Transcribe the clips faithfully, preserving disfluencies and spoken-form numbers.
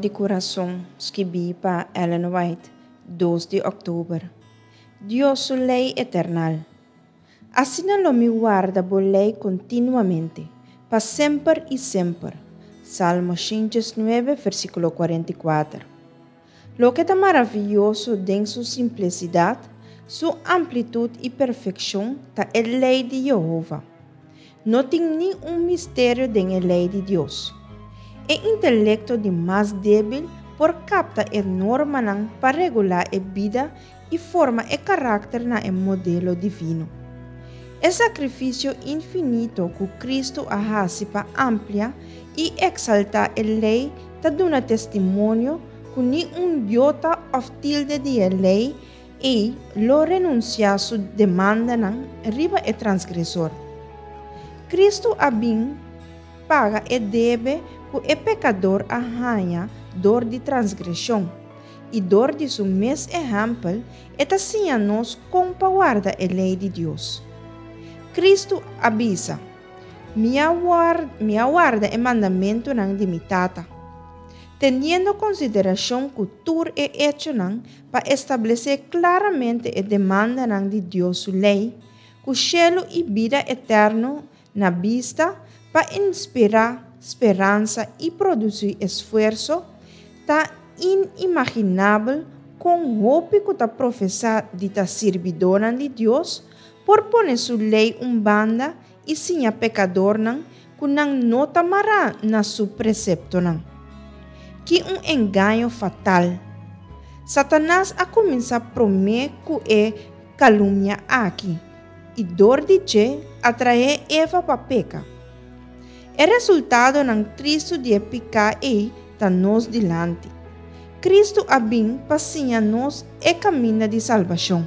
di Kurason, skibí pa Ellen White, dos di òktober. Dios su lei eternal. Asina lo mi warda bo lei kontinuamente, pa semper i semper. Salmo shen diesnuebe, versíkulo kuarenta i kuater. Loke ta maravioso den su simplesidat, su amplitut i perfekshon ta e lei di Yehova. No tin ningun misterio den e lei di Dios. E intelekto di mas débil por kapta e normanan pa regulá e bida i forma e karakter na e modelo divino. E sakrifisio infinito ku Kristu a hasi pa amplia i eksaltá e lei ta duna testimonio ku ni un yota òf tilde di e lei ei lo renunsiá su demandanan riba e transgresor. Kristu a bin paga e debe ku e pekador a haña dor di transgreshon, i dor di su mes ehèmpel e ta siña nos kon pa warda e lei di Dios. Kristu a bisa, Mi a mi a warda e mandamentunan di mi Tata. Teniendo konsiderashon ku tur e echonan pa establesé klaramente e demandanan di Dios su lei, ku shelu i bida eterno na bista pa inspirá speransa i produsí esfuerso, ta inimaginabel kon hopi ku ta profesá di ta sirbidónan di Dios por pone su lei un banda i siña pekadornan ku nan no ta mará na su preseptonan. Ki un engaño fatal! Satanas a kuminsá promé ku e kalumnia aki i dor di dje atraé Eva pa peka. E resultadonan tristu di e piká ei ta nos dilanti. Kristu a bin pa siña nos e kaminda di salbashon.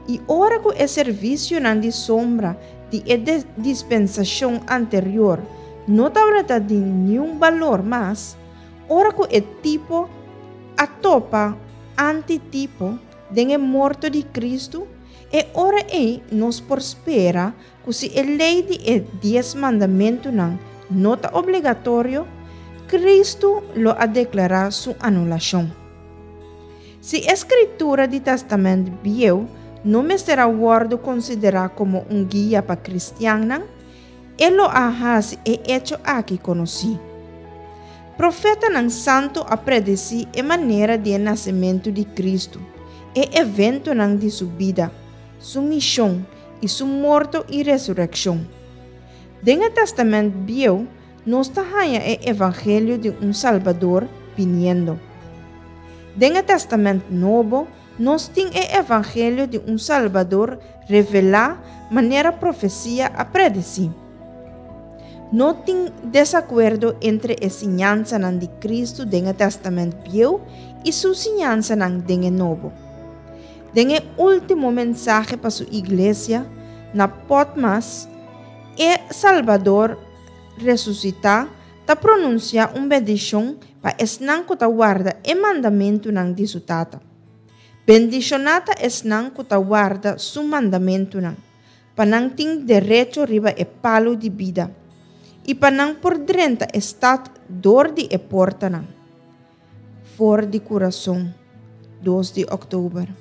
I ora ku e servisionan di sombra di e dispensashon anterior no tabata di niun balor mas, ora ku e tipo a topa antitipo den e morto di Kristu, e ora ei nos por spera ku si e lei di e Dies Mandamentunan no ta obligatorio, Kristu lo a deklará su anulashon. Si e Skritura di Tèstamènt Bieu no mester a wòrdu konsiderá komo un guia pa kristiannan, e lo a hasi e echo aki konosí. Profetanan santu a predesí e manera di e nasementu di Kristu, e eventonan di su bida, su mishon i su morto i resurekshon. Den e Tèstamènt Bieu, nos ta haña e evangelio di un Salbador biniendo. Den e Tèstamènt Nobo, nos tin e evangelio di un Salbador revelá manera profesia a predesí. No tin desakuerdo entre e siñansanan di Kristu den e Tèstamènt Bieu i su siñansanan den e Nobo. Den e último mensahe pa su iglesia, na Patmos, e Salbador resusitá ta pronunsiá un bendishon pa esnan ku ta warda e mandamentunan di su Tata. Bendishoná ta esnan ku ta warda su mandamentunan, pa nan tin derecho riba e palu di bida, i pa nan por drenta e stat dor di e portanan. For di Kurason, dos di òktober.